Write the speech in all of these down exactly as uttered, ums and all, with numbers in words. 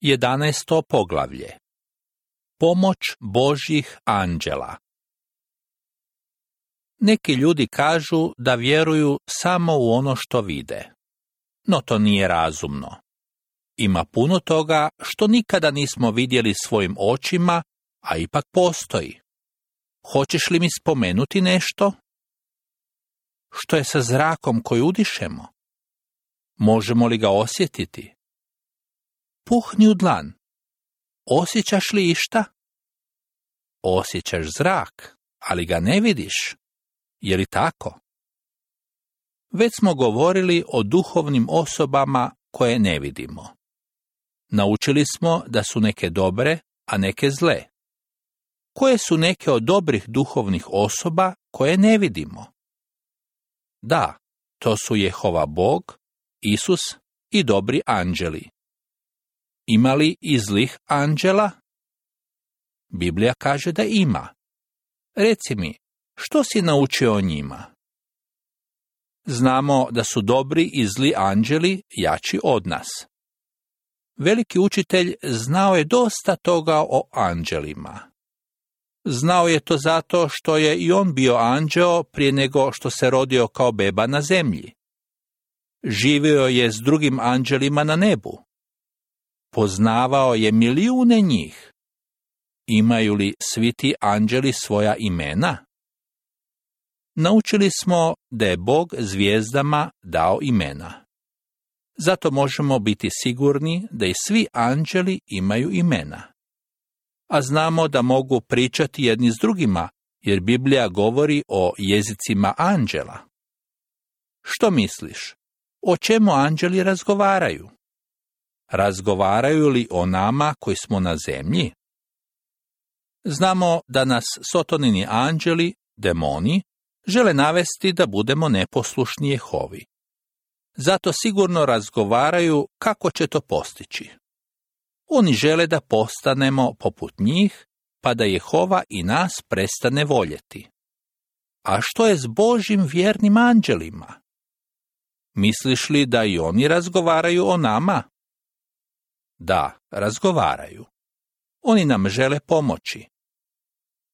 Jedanaesto poglavlje. Pomoć Božjih anđela. Neki ljudi kažu da vjeruju samo u ono što vide. No to nije razumno. Ima puno toga što nikada nismo vidjeli svojim očima, a ipak postoji. Hoćeš li mi spomenuti nešto? Što je sa zrakom koji udišemo? Možemo li ga osjetiti? Puhni u dlan. Osjećaš li išta? Osjećaš zrak, ali ga ne vidiš. Je li tako? Već smo govorili o duhovnim osobama koje ne vidimo. Naučili smo da su neke dobre, a neke zle. Koje su neke od dobrih duhovnih osoba koje ne vidimo? Da, to su Jehova Bog, Isus i dobri anđeli. Ima li i zlih anđela? Biblija kaže da ima. Reci mi, što si naučio o njima? Znamo da su dobri i zli anđeli jači od nas. Veliki učitelj znao je dosta toga o anđelima. Znao je to zato što je i on bio anđeo prije nego što se rodio kao beba na zemlji. Živio je s drugim anđelima na nebu. Poznavao je milijune njih. Imaju li svi ti anđeli svoja imena? Naučili smo da je Bog zvijezdama dao imena. Zato možemo biti sigurni da i svi anđeli imaju imena. A znamo da mogu pričati jedni s drugima, jer Biblija govori o jezicima anđela. Što misliš? O čemu anđeli razgovaraju? Razgovaraju li o nama koji smo na zemlji? Znamo da nas sotonini anđeli, demoni, žele navesti da budemo neposlušni Jehovi. Zato sigurno razgovaraju kako će to postići. Oni žele da postanemo poput njih, pa da Jehova i nas prestane voljeti. A što je s Božjim vjernim anđelima? Misliš li da i oni razgovaraju o nama? Da, razgovaraju. Oni nam žele pomoći.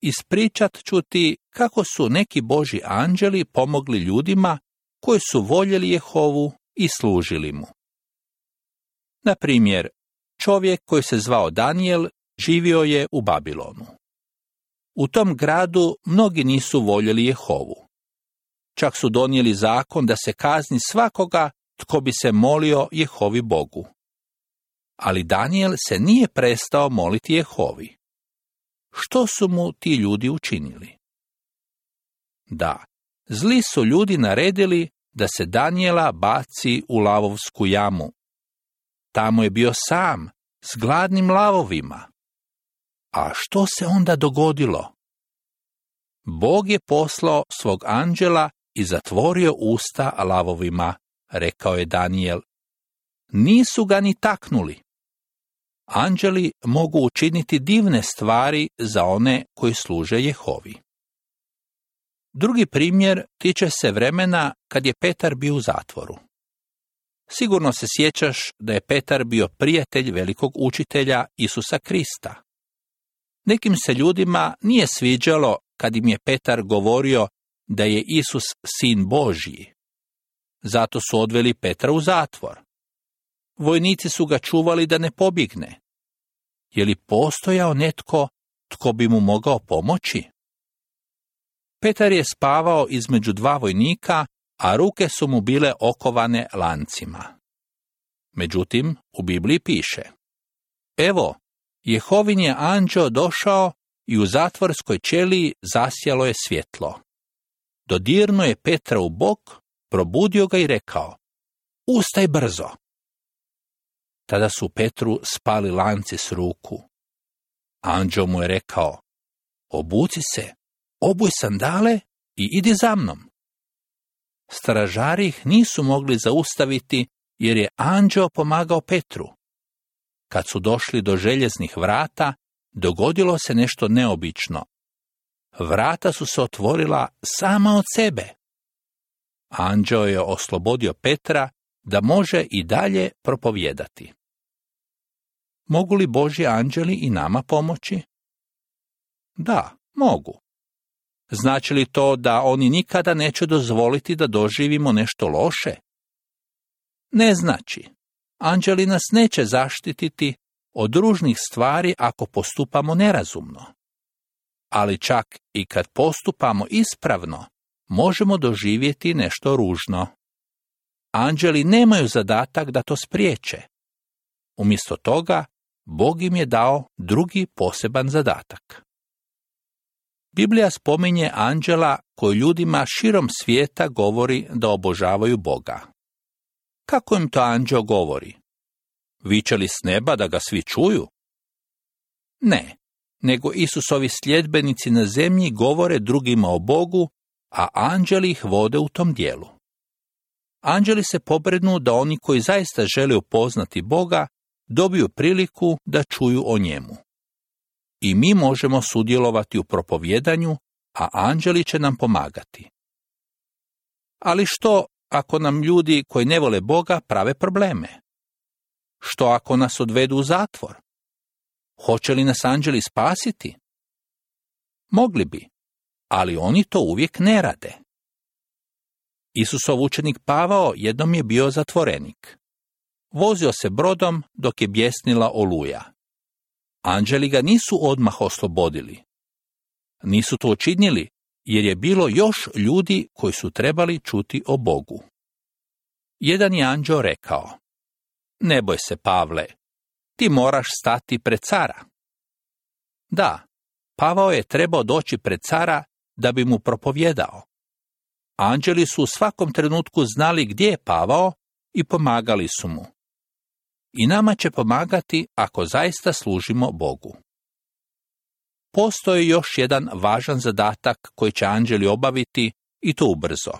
Ispričat ću ti kako su neki Božji anđeli pomogli ljudima koji su voljeli Jehovu i služili mu. Na primjer, čovjek koji se zvao Danijel živio je u Babilonu. U tom gradu mnogi nisu voljeli Jehovu. Čak su donijeli zakon da se kazni svakoga tko bi se molio Jehovi Bogu. Ali Danijel se nije prestao moliti Jehovi. Što su mu ti ljudi učinili? Da, zli su ljudi naredili da se Danijela baci u lavovsku jamu. Tamo je bio sam, s gladnim lavovima. A što se onda dogodilo? Bog je poslao svog anđela i zatvorio usta lavovima, rekao je Danijel. Nisu ga ni taknuli. Anđeli mogu učiniti divne stvari za one koji služe Jehovi. Drugi primjer tiče se vremena kad je Petar bio u zatvoru. Sigurno se sjećaš da je Petar bio prijatelj velikog učitelja Isusa Krista. Nekim se ljudima nije sviđalo kad im je Petar govorio da je Isus sin Božji. Zato su odveli Petra u zatvor. Vojnici su ga čuvali da ne pobjegne. Je li postojao netko tko bi mu mogao pomoći? Petar je spavao između dva vojnika, a ruke su mu bile okovane lancima. Međutim, u Bibliji piše: Evo, Jehovin je anđeo došao i u zatvorskoj ćeliji zasjalo je svjetlo. Dodirnuo je Petra u bok, probudio ga i rekao: Ustaj brzo! Tada su Petru spali lanci s ruku. Anđeo mu je rekao: Obuci se, obuj sandale i idi za mnom. Stražari ih nisu mogli zaustaviti jer je anđeo pomagao Petru. Kad su došli do željeznih vrata, dogodilo se nešto neobično. Vrata su se otvorila sama od sebe. Anđeo je oslobodio Petra da može i dalje propovijedati. Mogu li Božji anđeli i nama pomoći? Da, mogu. Znači li to da oni nikada neće dozvoliti da doživimo nešto loše? Ne znači. Anđeli nas neće zaštititi od ružnih stvari ako postupamo nerazumno. Ali čak i kad postupamo ispravno, možemo doživjeti nešto ružno. Anđeli nemaju zadatak da to spriječe. Umjesto toga, Bog im je dao drugi poseban zadatak. Biblija spominje anđela koji ljudima širom svijeta govori da obožavaju Boga. Kako im to anđeo govori? Viče li s neba da ga svi čuju? Ne, nego Isusovi sljedbenici na zemlji govore drugima o Bogu, a anđeli ih vode u tom dijelu. Anđeli se pobrinu da oni koji zaista žele upoznati Boga dobiju priliku da čuju o njemu. I mi možemo sudjelovati u propovjedanju, a anđeli će nam pomagati. Ali što ako nam ljudi koji ne vole Boga prave probleme? Što ako nas odvedu u zatvor? Hoće li nas anđeli spasiti? Mogli bi, ali oni to uvijek ne rade. Isusov učenik Pavao jednom je bio zatvorenik. Vozio se brodom dok je bjesnila oluja. Anđeli ga nisu odmah oslobodili. Nisu to učinili jer je bilo još ljudi koji su trebali čuti o Bogu. Jedan je anđeo rekao: Ne boj se, Pavle, ti moraš stati pred cara. Da, Pavao je trebao doći pred cara da bi mu propovjedao. Anđeli su u svakom trenutku znali gdje je Pavao i pomagali su mu. I nama će pomagati ako zaista služimo Bogu. Postoji još jedan važan zadatak koji će anđeli obaviti i to ubrzo.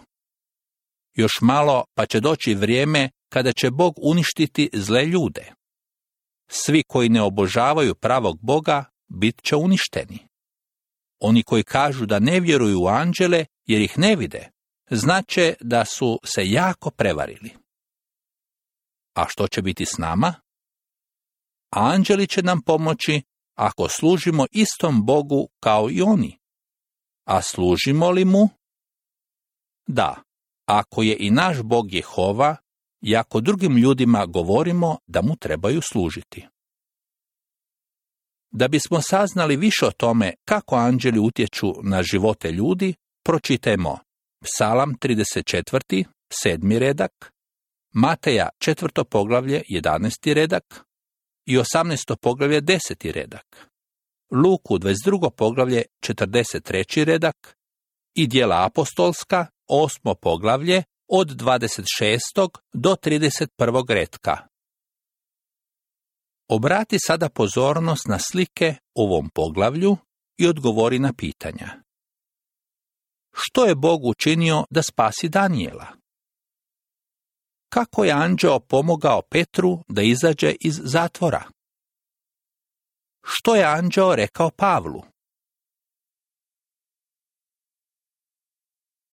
Još malo pa će doći vrijeme kada će Bog uništiti zle ljude. Svi koji ne obožavaju pravog Boga bit će uništeni. Oni koji kažu da ne vjeruju u anđele jer ih ne vide, znače da su se jako prevarili. A što će biti s nama? Anđeli će nam pomoći ako služimo istom Bogu kao i oni. A služimo li mu? Da, ako je i naš Bog Jehova, i ako drugim ljudima govorimo da mu trebaju služiti. Da bismo saznali više o tome kako anđeli utječu na živote ljudi, pročitajmo Psalam trideset četvrti, sedmi redak, Mateja četvrto poglavlje, jedanaesti redak i osamnaesto poglavlje, deseti redak, Luku dvadeset drugo poglavlje, četrdeset treći redak i Djela apostolska, osmo poglavlje, od dvadeset šestog do trideset prvog retka. Obrati sada pozornost na slike u ovom poglavlju i odgovori na pitanja. Što je Bog učinio da spasi Danijela? Kako je anđeo pomogao Petru da izađe iz zatvora? Što je anđeo rekao Pavlu?